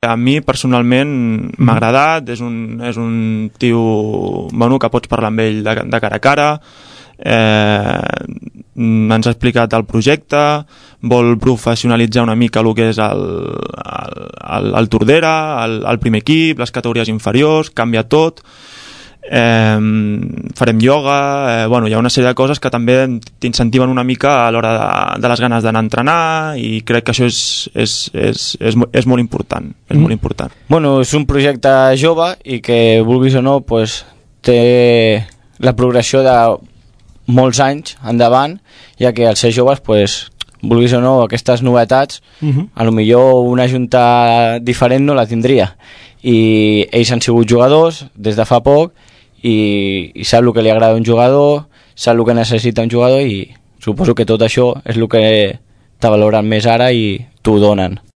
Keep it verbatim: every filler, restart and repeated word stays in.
A mi personalment m'ha agradat, és un, és un tio bueno, que pots parlar amb ell de, de cara a cara, eh, ens ha explicat el projecte, vol professionalitzar una mica el que és el, el, el, el Tordera, el, el primer equip, les categories inferiors, canvia tot, eh, farem ioga, eh, bueno, hi ha una sèrie de coses que també t'incentiven una mica a l'hora de, de les ganes d'anar a entrenar, i crec que això és, és, és, és, és molt important, és mm. molt important. Bueno, és un projecte jove i que, vulguis o no, pues, té la progressió de molts anys endavant, ja que als ser joves, pues, vulguis o no, aquestes novetats, uh-huh. a lo millor una junta diferent no la tindria. I ells han sigut jugadors des de fa poc i, i sap el que li agrada a un jugador, sap el que necessita un jugador, i suposo que tot això és el que t'ha valorat més ara i t'ho donen.